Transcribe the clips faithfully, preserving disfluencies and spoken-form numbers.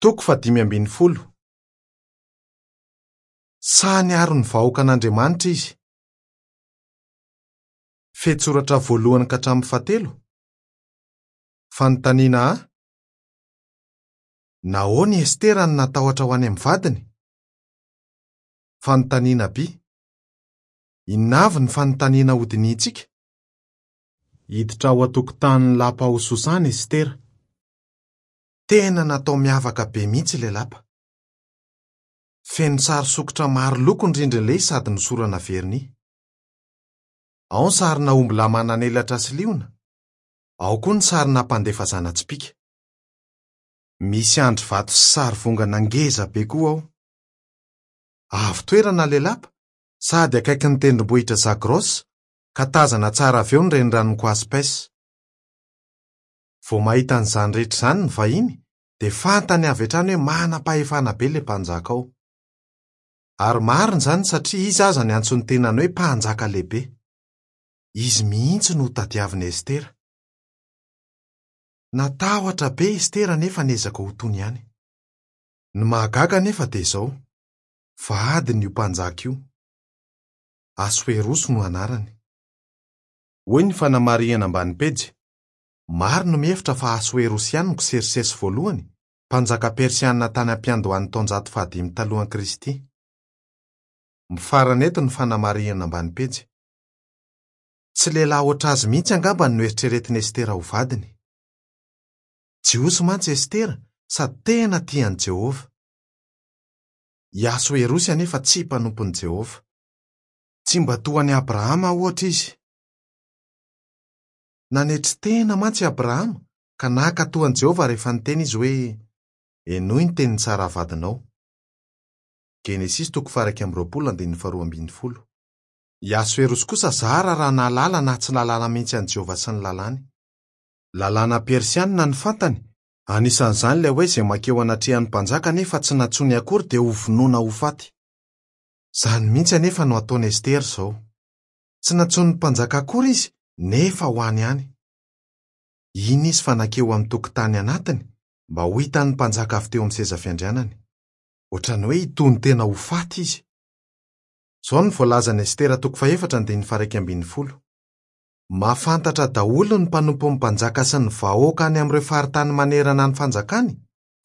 Toko fahadimy ambin'ny folo. Sahy niaro ny vahoakan'Andriamanitra izy. Fehintsoratra voalohany ka hatramin'ny fahatelo. Fanontaniana A. Nahoana i Estera no natahotra ho any amin'ny vadiny? Fanontaniana B. Inona avy ny fanontaniana hodinihintsika? Hiditra ao an-tokotanin'ny lapa ao Sosana Estera. Tena natao miavaka be mihitsy ilay lapa. Feno sary sokitra maro loko ny rindrin'ilay izy sady nosorana vernis. Ao ny sarina ombilahy manan'elatra sy liona, ao koa ny sarina mpandefa zana-tsipìka. Misy andry vato sy sary vongana ngeza be koa ao. Avo toerana ilay lapa sady akaikin'ny tendrombohitra Zagros ka tazana tsara avy eo ny reniranon'i Koaspes. Vao mahita an'izany rehetra izany ny vahiny dia fantany avy hatrany hoe manam-pahefana be ilay mpanjaka ao. Ary marina izany satria izy aza niantso ny tenany hoe mpanjaka lehibe. Izy mihitsy no hotadiavin'i Estera. Natahotra be Estera nefa niezaka ho tony ihany. Ny mahagaga anefa dia izao, vadiny io mpanjaka io. Asoerosy no anarany. Hoy ny fanamarihana ambany pejy. Maro no mihevitra fa Asoerosy ihany no Ksersesy voalohany, mpanjaka persianina tany am-piandohan'ny taonjato fahadimy talohan'i Kristy. Mifarana eto ny fanamarihana ambany pejy. Tsy lehilahy hoatr'azy mihitsy angamba no noeritreretin'i Estera ho vadiny. Jiosy mantsy Estera sady tena tia an'i Jehovah. I Asoerosy anefa tsy mpanompon'i Jehovah. Tsy mba toa an'i Abrahama ohatra izy. Nanetry tena mantsy i Abrahama ka nankatò an'i Jehovah rehefa niteny izy hoe henoy ny tenin'i Sara vadinao. Genesisy toko faha-iraika amby roapolo andininy faharoa ambin'ny folo. I Asoerosy kosa zara raha nahalala na tsy nahalala mihitsy an'i Jehovah sy ny lalàny. Lalàna persianina ny fantany, anisan'izany ilay hoe izay mankeo anatrehan'ny mpanjaka nefa tsy nantsoiny akory dia hovonoina ho faty. Izany mihitsy anefa no ataon'i Estera izao. Tsy nantsoin'ny mpanjaka akory izy nefa ho any ihany. Iny izy fa nankeo amin'ny tokotany anatiny mba ho hitan'ny mpanjaka avy teo amin'ny seza fiandrianany. Ohatran'ny hoe hitony tena ho faty izy. Izao no voalazan'i Estera toko fahefatra andininy faha-iraika ambin'ny folo. Mahafantatra daholo ny mpanompon'ny mpanjaka sy ny vahoaka any amin'ireo faritany manerana ny fanjakany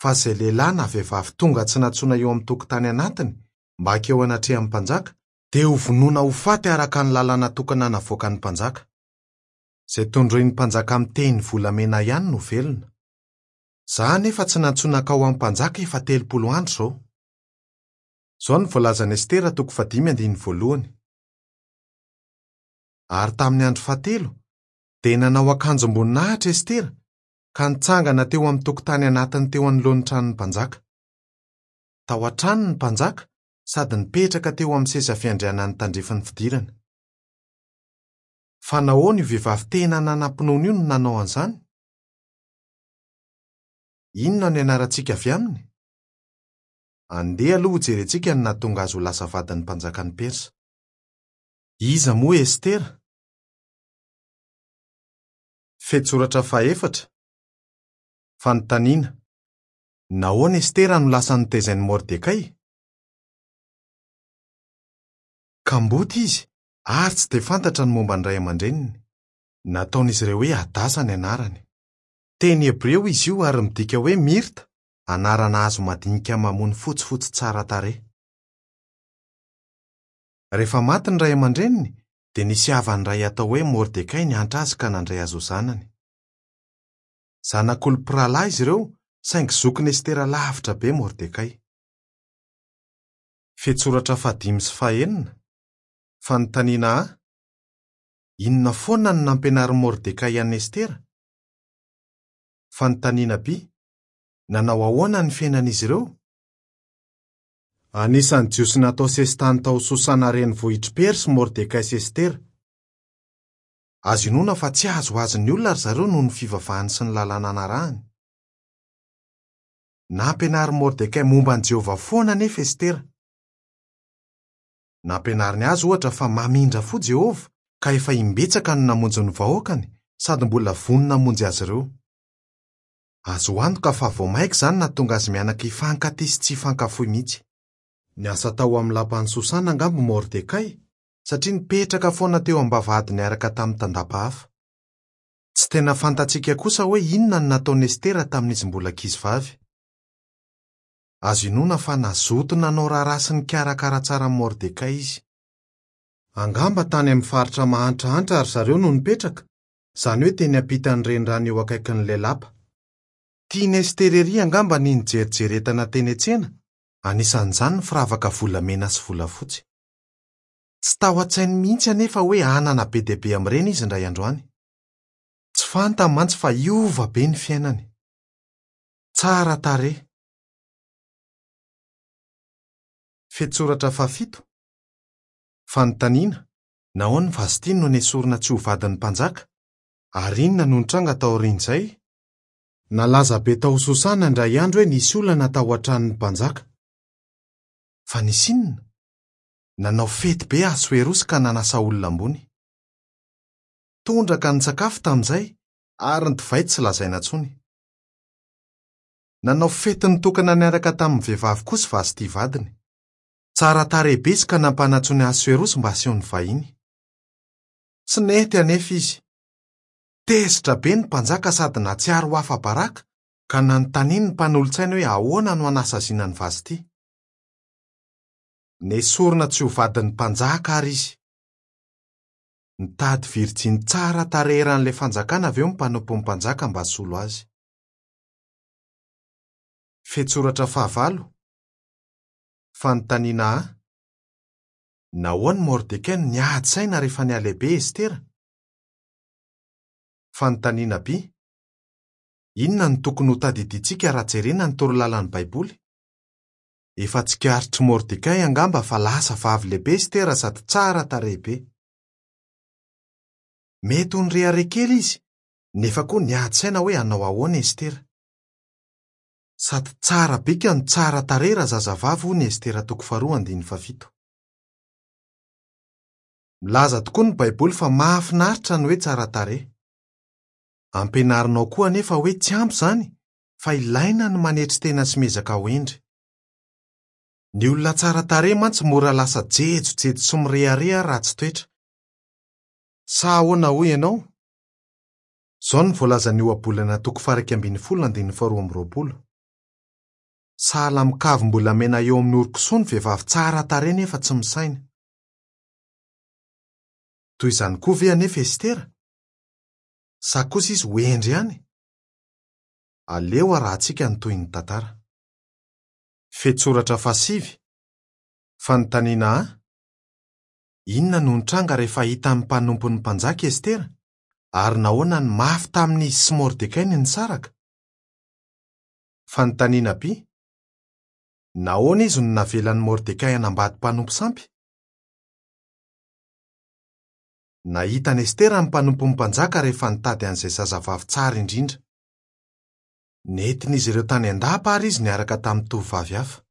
fa izay lehilahy na vehivavy tonga tsy nantsoina eo amin'ny tokotany anatiny mba hankeo anatrehan'ny mpanjaka dia hovonoina ho faty araka ny lalàna tokana navoakan'ny mpanjaka. Izay tondroin'ny mpanjaka amin'ny tehiny volamena ihany no velona. Izaho anefa tsy nantsoina hankao amin'ny mpanjaka efa telopolo andro izao. Izao no voalazan'i Estera toko fahadimy andininy voalohany. Ary tamin'ny andro fahatelo dia nanao akanjom-boninahitra Estera ka nitsangana teo amin'ny tokotany anatiny teo anoloan'ny tranon'ny mpanjaka. Tao an-trano ny mpanjaka sady nipetraka teo amin'ny seza fiandrianany tandrifin'ny fidirana. Fa nahoana io vehivavy tena nanam-pinoana io no nanao an'izany? Inona no ianarantsika avy aminy? Andeha aloha hojerentsika ny nahatonga azy ho lasa vadin'ny mpanjakan'i Persa. Iza moa Estera? Fehintsoratra fahefatra. Fanontaniana. Nahoana Estera no lasa notezain'i Mordekay? Kamboty izy ary tsy dia fantatra ny momba ny ray aman-dreniny. Nataon'izy ireo hoe Hadasa ny anarany. Teny hebreo izy io ary midika hoe mirta, anarana hazo madinika mamony fotsifotsy tsara tarehy. Rehefa maty ny ray aman-dreniny dia nisy havany iray atao hoe Mordekay niantra azy ka nandray azy ho zanany. Zanak'olom-pirahalahy izy ireo saingy zokin'i Estera lavitra be Mordekay. Fehintsoratra fahadimy sy fahenina. Fanontaniana A. Inona foana no nampianarin'i Mordekay an'i Estera? Fanontaniana B. Nanao ahoana ny fiainan'izy ireo? Anisan'ny Jiosy natao sesitany tao Sosana renivohitr'i Persa Mordekay sy Estera. Azo inoana fa tsy azoazon'ny olona ry zareo noho ny fivavahany sy ny lalàna narahany. Nampianarin'i Mordekay momba an'i Jehovah foana anefa Estera. Nampianariny azy ohatra fa mamindra fo Jehovah ka efa imbetsaka no namonjy ny vahoakany sady mbola vonona hamonjy azy ireo. Azo antoka fa vao mainka izany nahatonga azy mianaka hifankatia sy tsy hifankafoy mihitsy. Niasa tao amin'ny lapan'i Sosana angamba Mordekay, satria nipetraka foana teo am-bavahady niaraka tamin'ny tandapa hafa. Tsy tena fantatsika kosa hoe inona no nataon'i Estera tamin'izy mbola ankizivavy. Azo inoana fa nazoto nanao raharaha sy nikarakara tsara an'i Mordekay izy. Angamba tany amin'ny faritra mahantrahantra ry zareo no nipetraka, izany hoe teny ampitan'ny renirano eo akaikin'ilay lapa. Tian'i Estera ery angamba ny nijerijery entana teny an-tsena, anisan'izany ny firavaka volamena sy volafotsy. Tsy tao an-tsainy mihitsy anefa hoe hanana be dia be amin'ireny izy indray androany. Tsy fantany mantsy fa hiova be ny fiainany. Tsara tarehy. Fehintsoratra fahafito. Fanontaniana: nahoana Vastiny no nesorina tsy ho vadin'ny mpanjaka? Ary inona no nitranga taorian'izay? Nalaza be tao Sosana indray andro hoe nisy olana tao an-tranon'ny mpanjaka. Fa nisy inona? Nanao fety be Asoerosy ka nanasa olona ambony. Tondraka ny sakafo tamin'izay ary ny divay tsy lazaina intsony. Nanao fety nitokana niaraka tamin'ny vehivavy kosa Vasty vadiny. Tsara tarehy be izy ka nampanantsoiny Asoerosy mba haseho ny vahiny. Tsy nety anefa izy. Tezitra be ny mpanjaka sady nahatsiaro ho afa-baraka ka nanontaniany ny mpanolotsainy hoe ahoana no hanasaziana an'i Vasty. Nesorina tsy ho vadin'ny mpanjaka ary izy. Nitady virjiny tsara tarehy eran'ilay fanjakana avy eo ny mpanompon'ny mpanjaka mba hasolo azy. Fehintsoratra fahavalo. Fanontaniana A: nahoana Mordekay no niady saina rehefa nihalehibe Estera? Fanontaniana B: inona no tokony ho tadidintsika raha jerena ny torolalan'ny Baiboly? Efa tsikaritr'i Mordekay angamba fa lasa vavy lehibe Estera sady tsara tarehy be. Mety ho nirehareha kely izy, nefa koa niady saina hoe hanao ahoana Estera. Sady tsara bika no tsara tarehy raha zazavavy hoy ny Estera toko faharoa andininy fahafito. Milaza tokoa ny Baiboly fa mahafinaritra ny hoe tsara tarehy. Ampianarinao koa anefa hoe tsy ampy izany fa ilaina ny manetry tena sy miezaka ho hendry. Ny olona tsara tarehy mantsy mora lasa jejojejo sy mirehareha ratsy toetra. Sa ahoana hoy ianao? Izao no voalazan'ny ohabolana toko faha iraika ambin'ny folo andininy faharoa amby roapolo. Sahala amin'ny kavim-bolamena eo amin'ny oron-kisoa ny vehivavy tsara tarehy nefa tsy misaina. Toy izany koa ve anefa Estera? Sa kosa izy ho hendry ihany? Aleo arahantsika ny tohin'ny tantara. Fehintsoratra fahasivy. Fanontaniana A: inona no nitranga rehefa hitan'ny mpanompon'ny mpanjaka Estera? Ary nahoana no mafy tamin'izy sy Mordekay ny nisaraka? Fanontaniana B: nahoana izy no navelan'i Mordekay hanambady mpanompo sampy? Nahita an'i Estera ny mpanompon'ny mpanjaka rehefa nitady an'izay zazavavy tsara indrindra. Nentin'izy ireo tany an-dapa ary izy niaraka tamin'ny tovovavy hafa.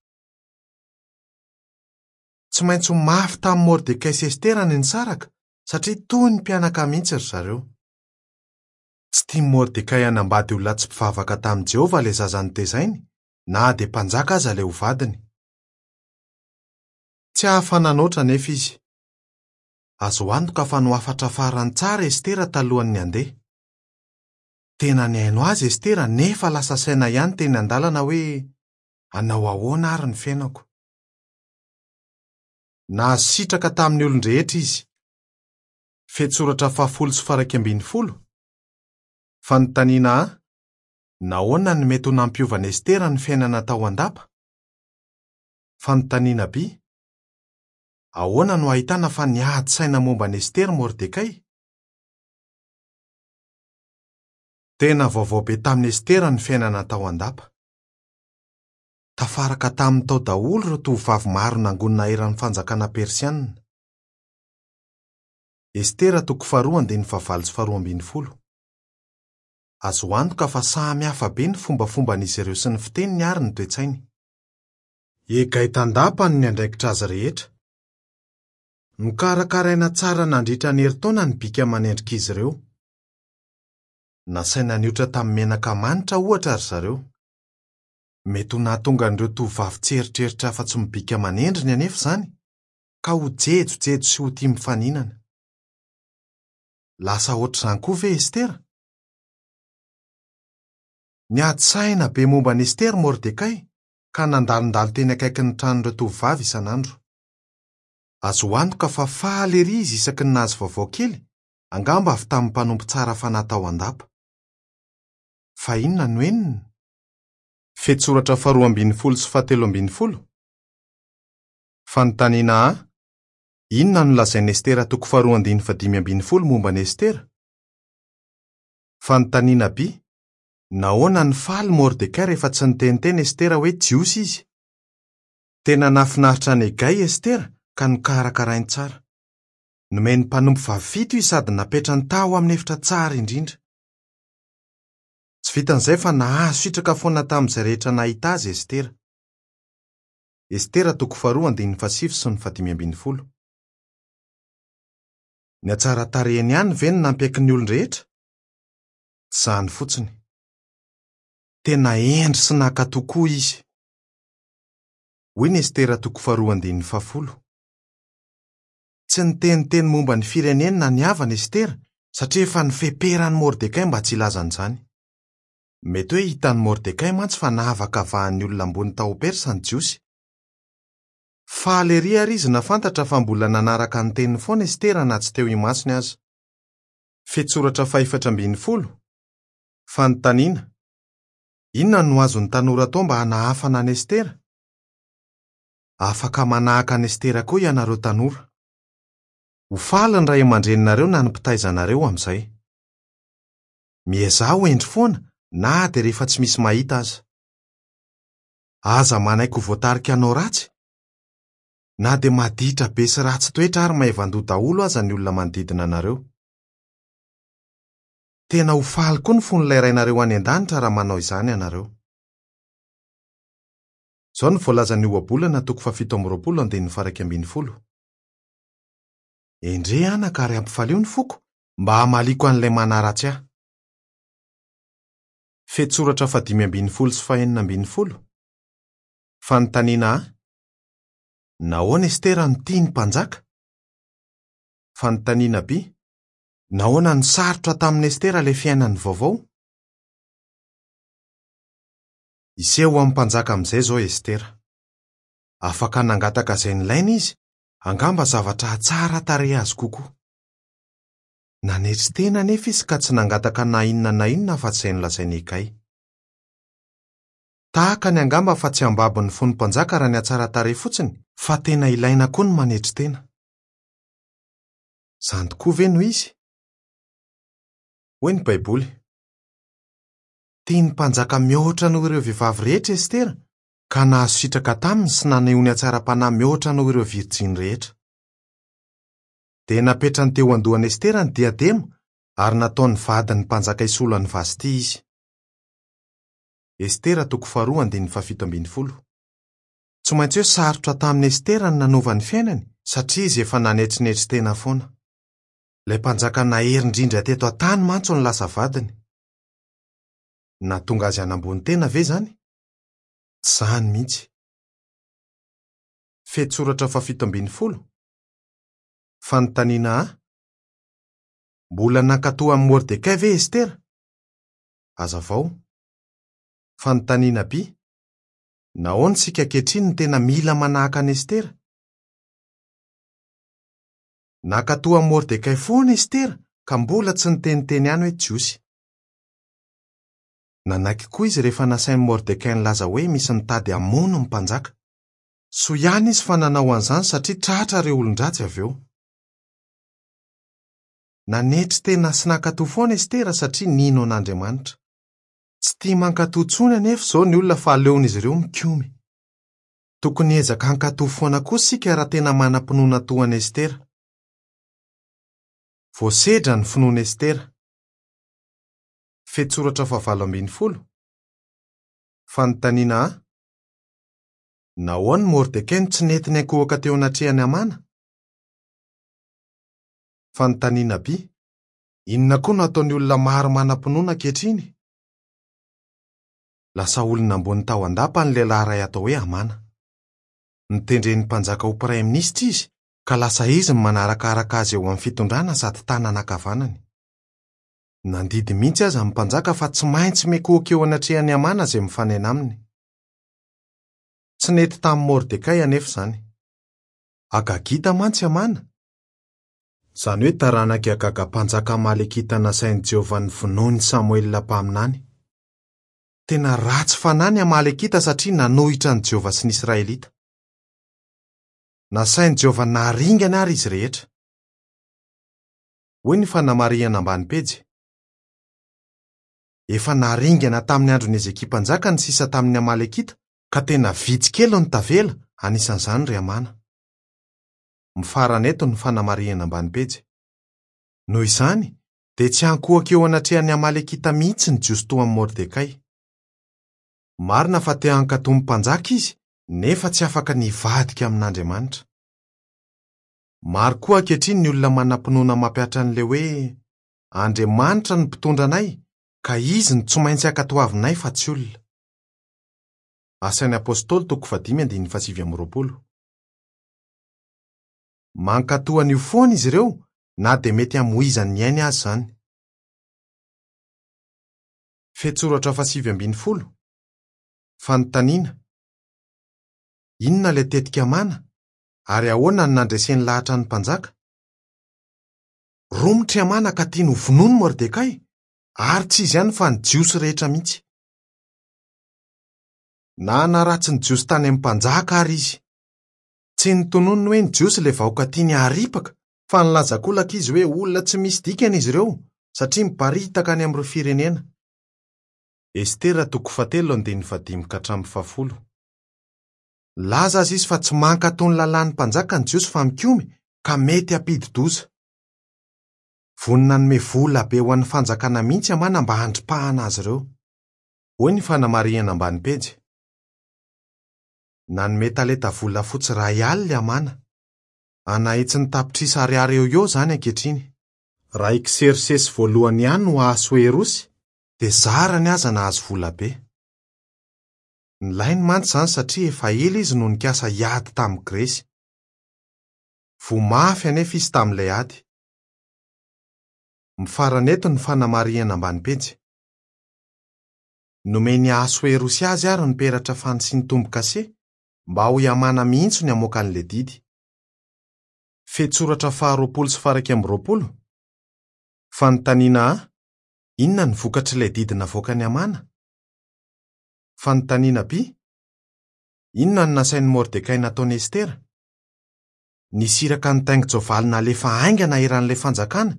Tsy maintsy ho mafy tamin'i Mordekay sy Estera ny nisaraka satria toy ny mpianaka mihitsy ry zareo. Tsy tian'i Mordekay hanambady olona tsy mpivavaka tamin'i Jehovah ilay zaza notezainy, na dia mpanjaka aza ilay ho vadiny. Tsy afa-nanoatra anefa izy. Azo antoka fa nohafatrafarany tsara Estera talohan'ny handeha. Tena nihaino azy Estera nefa lasa saina ihany teny an-dalana hoe hanao ahoana ary ny fiainako. Nahazo sitraka tamin'ny olon-drehetra izy. Fehintsoratra fahafolo sy faha iraika ambin'ny folo. Fanontaniana A: nahoana no mety ho nampiovan'i Estera ny fiainana tao an-dapa? Fanontaniana B: ahoana no ahitana fa niady saina momba an'i Estera Mordekay? Tena vaovao be tamin'i Estera ny fiainana tao an-dapa. Tafaraka tamin'ny tao daholo ireo tovovavy maro nangonina eran'ny fanjakana persianina. Estera toko faharoa andininy fahavalo sy faharoa ambin'ny folo. Azo antoka fa samy hafa be ny fombafomban'izy ireo sy ny fiteniny ary ny toe-tsainy. Egay tandapa no niandraikitra azy rehetra. Nokarakaraina tsara nandritra ny herintaona ny bika manendrika izy ireo. Nasaina niotra tamin'ny menaka manitra ohatra ry zareo. Mety ho nahatonga an'ireo tovovavy tsy eritreritra afa-tsy mibika manendriny anefa izany, ka ho jejojejo sy ho tia mifaninana. Lasa ohatr'izany koa ve Estera? Niady saina be momba an'i Estera Mordekay ka nandalondalo teny akaikin'ny tranon'ireo tovovavy isan'andro. Azo antoka fa faly ery izy isaky ny nahazo vaovao kely, angamba avy tamin'ny mpanompo tsara fanahy tao an-dapa. Fa inona no henony? Fehintsoratra faharoa ambin'ny folo sy fahatelo ambin'ny folo. Fanontaniana A: Inona no lazain'i Estera toko faharoa andininy fahadimy ambin'ny folo momba an'i Estera? Fanontaniana B: Nahoana no faly Mordekay rehefa tsy niteniteny Estera hoe Jiosy izy? Tena nahafinaritra an'i Egay Estera ka nokarakarainy tsara. Nomeny mpanompo vavy fito izy sady napetrany tao amin'ny efitra tsara indrindra. Tsy vitan'izay fa nahazo sitraka foana tamin'izay rehetra nahita azy Estera. Estera toko faharoa andininy fahasivy sy ny fahadimy ambin'ny folo. Ny hatsaran-tarehiny ihany ve no nampiaiky ny olon-drehetra? Tsy izany fotsiny. Tena hendry sy nankatò koa izy. Hoy ny Estera toko faharoa andininy fahafolo. Tsy niteniteny momba ny fireneny na ny havany Estera satria efa nifeperan'i Mordekay mba tsy hilaza an'izany. Mety hoe hitan'i Mordekay mantsy fa nahavakavahan'ny olona ambony tao Persa ny Jiosy. Faly ery ary izy nahafantatra fa mbola nanaraka ny teniny foana Estera na tsy teo imasony aza. Fehintsoratra fahefatra ambin'ny folo. Fanontaniana: Inona no azon'ny tanora atao mba hanahafana an'i Estera? Afaka manahaka an'i Estera koa ianareo tanora. Ho faly ny ray aman-dreninareo na ny mpitaiza anareo amin'izay. Miezaha ho hendry foana na dia rehefa tsy misy mahita aza. Aza manaiky ho voatarika hanao ratsy, na dia maditra be sy ratsy toetra ary maivan-doha daholo aza ny olona manodidina anareo. Tena ho faly koa ny fon'ilay rainareo any an-danitra raha manao izany ianareo. Izao no voalazan'ny ohabolana toko fahafito amby roapolo andininy faha-iraika ambin'ny folo. Endrey anaka ary ampifalio ny foko mba hamaliako an'ilay manaratsy ahy. Fehintsoratra fahadimy ambin'ny folo sy fahenina ambin'ny folo. Fanontaniana A: Nahoana Estera no tia ny mpanjaka? Fanontaniana B: Nahoana no sarotra tamin'i Estera ilay fiainany vaovao? Hiseho amin'ny mpanjaka amin'izay izao Estera. Afaka nangataka izay nilaina izy, angamba zavatra hahatsara tarehy azy kokoa. Nanetry tena anefa izy ka tsy nangataka na inona na inona afa-tsy izay nolazain'i Egay. Tahaka ny angamba fa tsy hambabo ny fon'ny mpanjaka raha ny hatsara tarehy fotsiny, fa tena ilaina koa ny manetry tena. Izany tokoa ve no izy? Hoy ny Baiboly: Tian'ny mpanjaka mihoatra noho ireo vehivavy rehetra Estera, ka nahazo sitraka taminy sy naneho ny hatsaram-panahy mihoatra noho ireo virjiny rehetra. Dia napetrany teo an-dohan'i Estera ny diadema ary nataony vadin'ny mpanjaka hisolo an'i Vasty izy. Estera toko faharoa andininy fahafito ambin'ny folo. Tsy maintsy hoe sarotra tamin'i Estera ny nanova ny fiainany satria izy efa nanetrinetry tena foana. Ilay mpanjaka nahery indrindra teto an-tany mantsy no lasa vadiny. Nahatonga azy hanambony tena ve izany? Tsy izany mihitsy. Fehintsoratra fahafito ambin'ny folo. Fanontaniana A: Mbola nankatò amin'i Mordekay ve Estera? Hazavao. Fanontaniana B: Nahoana isika ankehitriny no tena mila manahaka an'i Estera? Nankatò amin'i Mordekay foana Estera ka mbola tsy niteniteny ihany hoe Jiosy. Nanaiky koa izy rehefa nasain'i Mordekay nilaza hoe misy mitady hamono ny mpanjaka. Soa ihany izy fa nanao an'izany satria tratra ireo olon-dratsy avy eo. Nanetry tena sy nankatò foana Estera satria nino an'Andriamanitra. Tsy tia mankatò intsony anefa izao ny olona fa aleon'izy ireo mikomy. Tokony hiezaka hankatò foana koa isika raha tena manam-pinoana toa an'i Estera. Voasedra ny finoan'i Estera. Fehintsoratra fahavalo ambin'ny folo. Fanontaniana A: Nahoana Mordekay no tsy nety niankohoka teo anatrehan'i Hamana? Fanontaniana B: Inona koa no ataon'ny olona maro manam-pinoana ankehitriny? Lasa olona ambony tao an-dapa ny lehilahy iray atao hoe Hamana. Notendren'ny mpanjaka ho praiminisitra izy ka lasa izy no manarakaraka azy eo amin'ny fitondrana sady tanana ankavanany. Nandidy mihitsy aza ny mpanjaka fa tsy maintsy mikohaka eo anatrehan'i Hamana izay mifanena aminy. Tsy nety tamin'i Mordekay anefa izany. Agagita mantsy Hamana, izany hoe taranak'i Agaga mpanjaka Amalekita nasain'i Jehovah novonoin'i Samoela mpaminany. Tena ratsy fanahy ny Amalekita satria nanohitra an'i Jehovah sy ny Israelita. Nasain'i Jehovah naringana ary izy rehetra. Hoy ny fanamarihana ambany pejy. Efa naringana tamin'ny andron'i Hezekia mpanjaka ny sisa tamin'ny Amalekita ka tena vitsy kely no tavela, anisan'izany ry Hamana. Mifarana eto ny fanamarihana ambany pejy. Noho izany, dia tsy ankohaka eo anatrehan'ny Amalekita mihitsy ny Jiosy toa amin'i Mordekay. Marina fa te hankatò ny mpanjaka izy, nefa tsy afaka ny hivadika amin'Andriamanitra. Maro koa ankehitriny ny olona manam-pinoana mampihatra an'ilay hoe Andriamanitra no mpitondra anay, ka izy no tsy maintsy ankatoavinay fa tsy olona. Asan'ny Apôstôly toko fahadimy andininy fahasivy amby roapolo. Mankatò an'io foana izy ireo na dia mety hamoizany ny ainy azy izany. Fehintsoratra fahasivy ambin'ny folo. Fanontaniana: inona ilay tetika Hamana ary ahoana no nandreseny lahatra ny mpanjaka? Romotra i Hamana ka tiany ho vonoiny Mordekay, ary tsy izy ihany fa ny Jiosy rehetra mihitsy. Nanaratsy ny Jiosy tany amin'ny mpanjaka ary izy. Tsy nitononiny hoe ny Jiosy ilay vahoaka tiany haripaka, fa nilaza kolaka izy hoe olona tsy misy dikany izy ireo satria miparitaka any amin'ireo firenena. Estera toko fahatelo andininy fahadimy ka hatramin'ny fahafolo. Nilaza azy izy fa tsy mankatò ny lalàn'ny mpanjaka ny Jiosy fa mikomy ka mety hampidi-doza. Vonona nanome vola be ho an'ny fanjakana mihitsy Hamana mba handripahana azy ireo. Hoy ny fanamarihana ambany pejy. Nanome talenta volafotsy iray alina Hamana. Anahitsy ny tapitrisa ariary eo eo izany ankehitriny. Raha i Ksersesy voalohany ihany no Ahasoerosy, dia zarany aza nahazo vola be. Nilainy mantsy izany satria efa ela izy no nikasa hiady tamin'i Gresy. Voa mafy anefa izy tamin'ilay ady. Mifarana eto ny fanamarihana ambany pejy. Nomen'i Ahasoerosy azy ary ny peratra fanisiany tombo-kase mba ho i Hamana mihitsy ny hamoaka an'ilay didy. Fehintsoratra faharoapolo sy faha-iraika amby roapolo. Fanontaniana A: inona ny vokatr'ilay didy navoakan'i Hamana? Fanontaniana B: inona no nasain'i Mordekay nataon'i Estera? Nisy iraka nitaingin-tsoavaly nalefa haingana eran'ilay fanjakana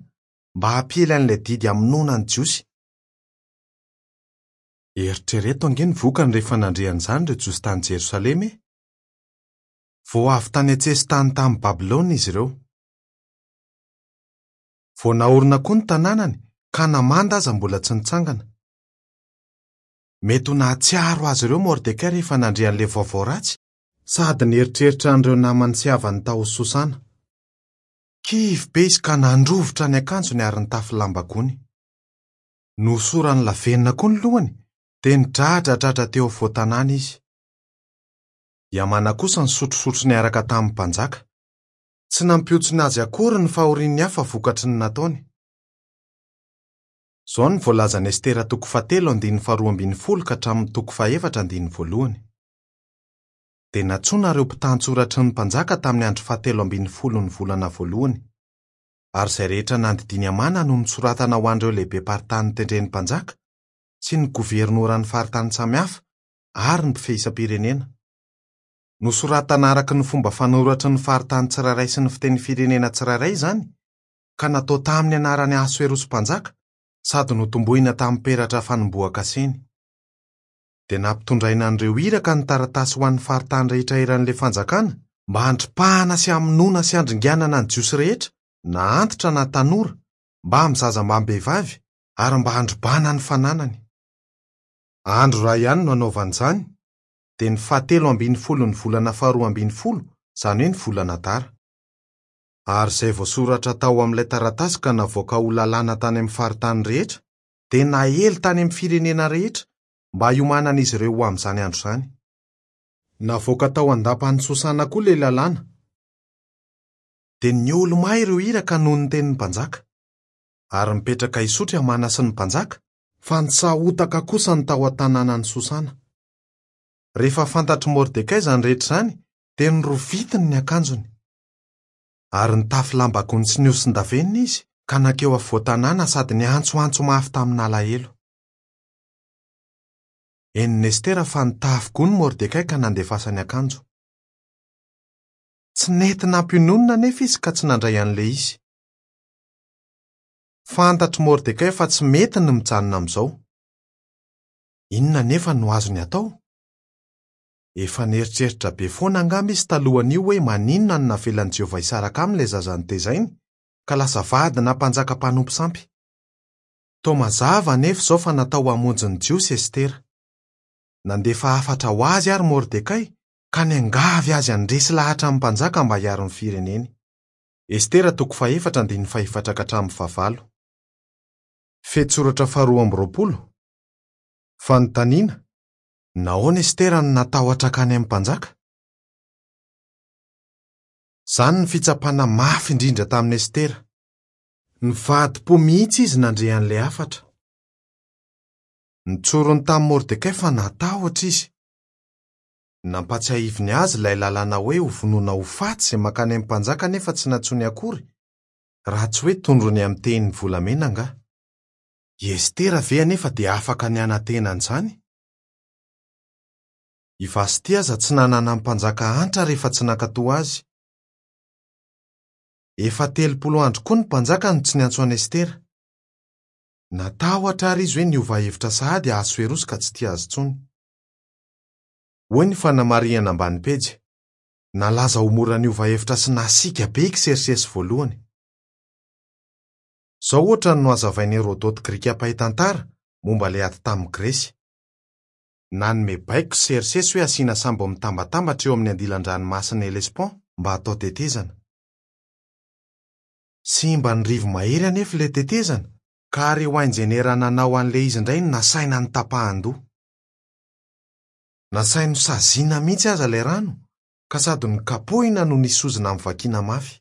mba hampiely an'ilay didy hamonoana ny Jiosy. Eritrereto ange ny vokany rehefa nandre an'izany ireo Jiosy tany Jerosalema e! Vao avy tany an-tsesitany tamin'i Babylona izy ireo. Vao naorina koa ny tanànany ka namanda aza mbola tsy nitsangana. Mety ho nahatsiaro azy ireo Mordekay rehefa nandre an'ilay vaovao ratsy sady nieritreritra an'ireo namany sy havany tao Sosana. Kivy be izy ka nandrovitra ny akanjony ary nitafy lamba gony. Nosorany lavenona koa ny lohany dia nidradradradra teo afovoan-tanàna izy. I Hamana kosa nisotrosotro niaraka tamin'ny mpanjaka. Tsy nampiontsona azy akory ny fahorian'ny hafa vokatry ny nataony. Izao no voalazan'i Estera toko fahatelo andininy faharoa ambin'ny folo ka hatramin'ny toko fahefatra andininy voalohany. Dia nantsoina ireo mpitantsoratry ny mpanjaka tamin'ny andro fahatelo ambin'ny folo ny volana voalohany. Ary izay rehetra nandidian'i Hamana no nosoratana ho an'ireo lehibe-paritany notendren'ny mpanjaka sy ny governoran'ny faritany samihafa ary ny mpifehy isam-pirenena. Nosoratana araka ny fomba fanoratry ny faritany tsirairay sy ny fiteny firenena tsirairay izany, ka natao tamin'ny anaran'i Ahasoerosy mpanjaka sady notombohina tamin'ny peratra fanombohan-kaseny. Dia nampitondraina an'ireo iraka ny taratasy ho an'ny faritany rehetra eran'ilay fanjakana mba handripahana sy hamonoana sy handringanana ny Jiosy rehetra, na antitra na tanora, mba amin'ny zaza mbam-behivavy ary mba handrobana ny fananany. Andro iray ihany no hanaovana izany, dia ny fahatelo ambin'ny folo ny volana faharoa ambin'ny folo, izany hoe ny volana Adara. Ary izay voasoratra tao amin'ilay taratasy ka navoaka ho lalàna tany amin'ny faritany rehetra, dia naely tany amin'ny firenena rehetra mba hiomanan'izy ireo ho amin'izany andro izany. Navoaka tao an-dapan'i Sosana koa ilay lalàna. Dia niolomay ireo iraka noho ny tenin'ny mpanjaka. Ary nipetraka hisotro i Hamana sy ny mpanjaka, fa nisahotaka kosa ny tao an-tanànan'i Sosana. Rehefa fantatr'i Mordekay izany rehetra izany, dia norovitiny ny akanjony. Ary nitafy lamba gony sy nihosin-davenona izy, ka nankeo afovoan-tanàna sady niantsoantso mafy tamin'alahelo. Henon'i Estera fa nitafy gony Mordekay ka nandefasany akanjo. Tsy nety nampiononina anefa izy ka tsy nandray an'ilay izy. Fantatr'i Mordekay fa tsy mety ny mijanona amin'izao. Inona anefa no azony atao? Efa nieritreritra be foana angamba izy talohan'io hoe maninona no navelan'i Jehovah hisaraka aminy ilay zaza notezainy, ka lasa vadina mpanjaka mpanompo sampy. Toa mazava anefa izao fa natao hamonjy ny Jiosy Estera. Nandefa hafatra ho azy ary Mordekay ka niangavy azy handresy lahatra amin'ny mpanjaka mba hiaro ny fireneny. Estera toko fahefatra andininy fahefatra ka hatramin'ny fahavalo. Fehintsoratra faharoa amby roapolo. Fanontaniana: nahoana Estera no natahotra hankany amin'ny mpanjaka? Izany ny fitsapana mafy indrindra tamin'i Estera. Nivadi-po mihitsy izy nandre an'ilay hafatra. Nitsorony tamin'i Mordekay fa natahotra izy. Nampatsiahiviny azy ilay lalàna hoe ho vonoina ho faty izay mankany amin'ny mpanjaka nefa tsy nantsoiny akory, raha tsy hoe tondrony amin'ny tehiny volamena angaha. I Estera ve anefa dia afaka ny hanantena an'izany? I Vasty aza tsy nanana ny mpanjaka antra rehefa tsy nankatò azy. Efa telopolo andro koa ny mpanjaka no tsy niantso an'i Estera. Natahotra ary izy hoe niova hevitra sahady Ahasoerosy ka tsy tia azy intsony. Hoy ny fanamarihana ambany pejy. Nalaza ho mora niova hevitra sy nasiaka be i Ksersesy voalohany. Izao ohatra no nohazavain'i Herodote grika mpahay tantara momba ilay ady tamin'i Gresy. Nanome baiko Ksersesy hoe asiana sambo mitambatambatra eo amin'ny andilan-dranomasina Hellespont mba hatao tetezana. Simba ny rivo-mahery anefa ilay tetezana, ka ary ho injeniera nanao an'ilay izy indray no nasaina notapahan-doha. Nasainy nosaziana mihitsy aza ilay rano, ka sady nokapohina no nisy sozona mivakiana mafy.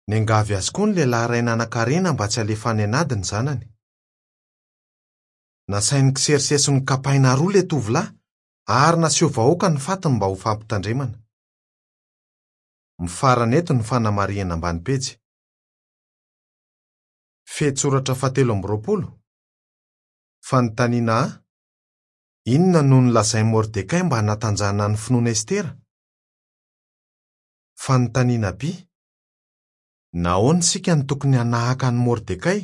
Niangavy azy koa ny lehilahy iray nanan-karena mba tsy halefa any an'ady ny zanany. Nasain'i Ksersesy nokapaina roa ilay tovolahy ary naseho vahoaka ny fatiny mba ho fampitandremana. Mifarana eto ny fanamarihana ambany pejy. Fehintsoratra fahatelo amby roapolo. Fanontaniana A: inona no nolazain'i Mordekay mba hanatanjahana ny finoan'i Estera? Fanontaniana B: nahoana isika no tokony hanahaka an'i Mordekay?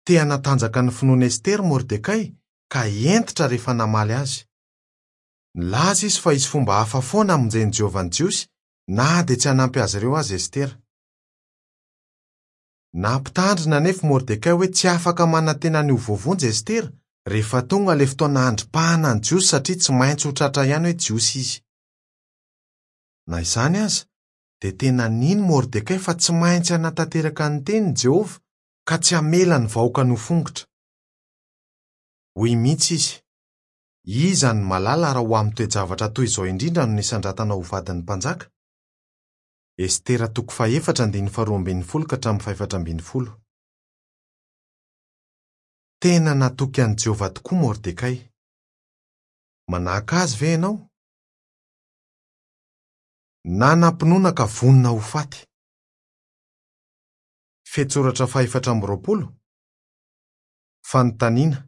Te hanatanjaka ny finoan'i Estera Mordekay ka hentitra rehefa namaly azy. Nilaza izy fa hisy fomba hafa foana hamonjen'i Jehovah ny Jiosy na dia tsy hanampy azy ireo aza Estera. Nampitandrina anefa Mordekay hoe tsy afaka manantena ny ho voavonjy Estera rehefa tonga ilay fotoana handripahana ny Jiosy satria tsy maintsy ho tratra ihany hoe Jiosy izy. Na izany aza, dia tena nino Mordekay fa tsy maintsy hanatanteraka ny teniny Jehovah ka tsy hamela ny vahoakany ho fongotra. Hoy mihitsy izy: iza no mahalala raha ho amin'ny toe-javatra toy izao indrindra no nisandratana ho vadin'ny mpanjaka? Estera toko fahefatra andininy faharoa ambin'ny folo ka hatramin'ny fahefatra ambin'ny folo. Tena natoky an'i Jehovah tokoa Mordekay. Manahaka azy ve ianao? Nanam-pinoana ka vonona ho faty. Fehintsoratra fahefatra amby roapolo. Fanontaniana: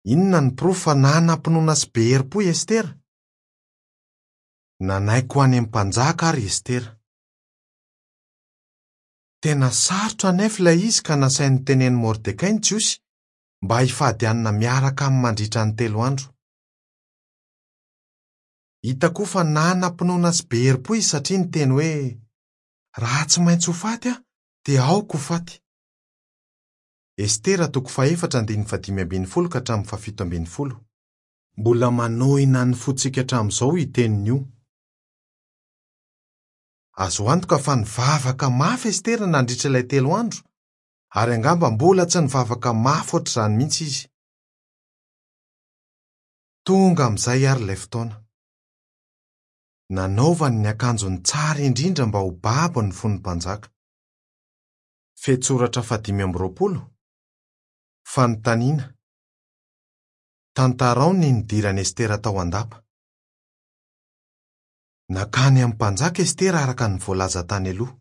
inona ny porofo fa nanam-pinoana sy be herim-po i Estera? Nanaiky ho any amin'ny mpanjaka ary Estera. Tena sarotra anefa ilay izy ka nasainy notenenin'i Mordekay ny Jiosy mba hifady hanina miaraka aminy mandritra ny telo andro. Hita koa fa nanam-pinoana sy be herim-po izy satria niteny hoe: raha tsy maintsy ho faty aho, dia aoka ho faty. Estera toko fahefatra andininy fahadimy ambin'ny folo ka hatramin'ny fahafito ambin'ny folo. Mbola manohina ny fontsika hatramin'izao io teniny io. Azo antoka fa nivavaka mafy Estera nandritra ilay telo andro, ary angamba mbola tsy nivavaka mafy ohatr'izany mihitsy izy. Tonga amin'izay ary ilay fotoana. Nanaovany ny akanjony tsara indrindra mba ho babo ny fon'ny mpanjaka. Fehintsoratra fahadimy amby roapolo. Fanontaniana. Tantarao ny nidiran'i Estera tao an-dapa. Nankany amin'ny mpanjaka Estera araka ny voalaza tany aloha.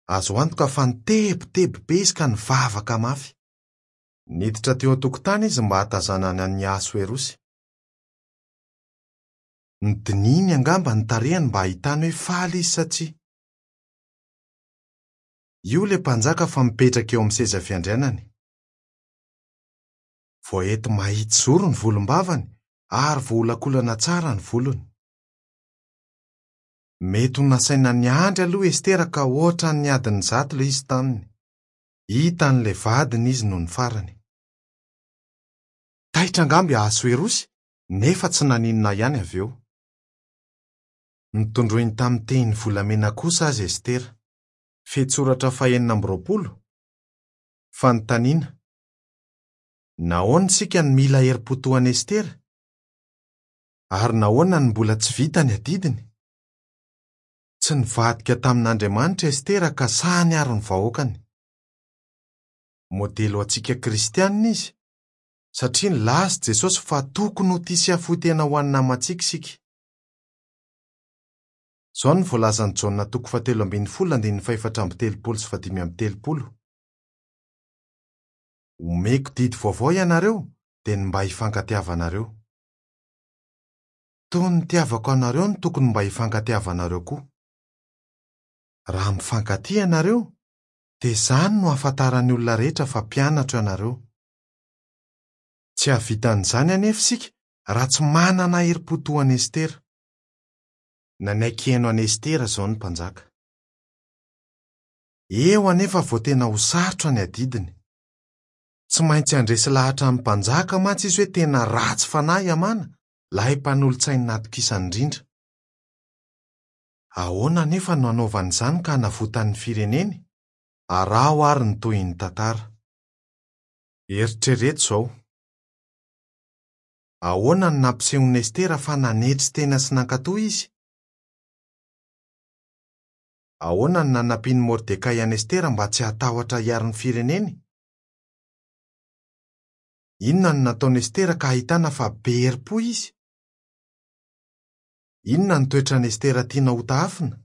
Azo antoka fa nitebiteby be izy ka nivavaka mafy. Niditra teo an-tokotany izy mba hahatazanana an'i Ahasoerosy. Nodinihiny angamba ny tarehiny mba hahitany hoe faly izy sa tsia. Io ilay mpanjaka fa mipetraka eo amin'ny seza fiandrianany. Voahety mahitsy zoro ny volombavany ary voaolakolana tsara ny volony. Mety ho nasaina niandry aloha Estera ka ohatran'ny adiny zato ilay izy taminy. Hitan'ilay vadiny izy nony farany. Taitra angamba i Ahasoerosy nefa tsy naninona ihany avy eo. Notondroiny tamin'ny tehiny volamena kosa azy Estera. Fehintsoratra fahenina amby roapolo. Fanontaniana. Nahoana isika no mila herim-po toa an'i Estera? Ary nahoana no mbola tsy vita ny adidiny? Tsy nivadika tamin'Andriamanitra Estera ka sahy niaro ny vahoakany. Modely ho antsika kristianina izy, satria nilaza Jesosy fa tokony ho tia sy hahafoy tena ho an'ny namantsika isika. Izao no voalazan'i Jaona toko fahatelo ambin'ny folo andininy fahefatra amby telopolo sy fahadimy amby telopolo. Omeko didy vaovao ianareo, dia ny mba hifankatiavanareo. Toy ny nitiavako anareo no tokony mba hifankatiavanareo koa. Raha mifankatia ianareo, dia izany no ahafantaran'ny olona rehetra fa mpianatro ianareo. Tsy hahavita an'izany anefa isika raha tsy manana herim-po toa an'i Estera. Nanaiky haino an'i Estera izao ny mpanjaka. Eo anefa vao tena ho sarotra ny adidiny. Tsy maintsy handresy lahatra amin'ny mpanjaka mantsy izy hoe tena ratsy fanahy Hamana, ilay mpanolotsainy natokisany indrindra. Ahoana anefa no hanaovany izany ka hanavotany ny fireneny? Araho ary ny tohin'ny tantara. Eritrereto izao. Ahoana no nampisehon'i Estera fa nanetry tena sy nankatò izy? Ahoana no nanampian'i Mordekay an'i Estera mba tsy hatahotra hiaro ny fireneny? Inona no nataon'i Estera ka ahitana fa be herim-po izy? Inona no toetran'i Estera tianao hotahafina?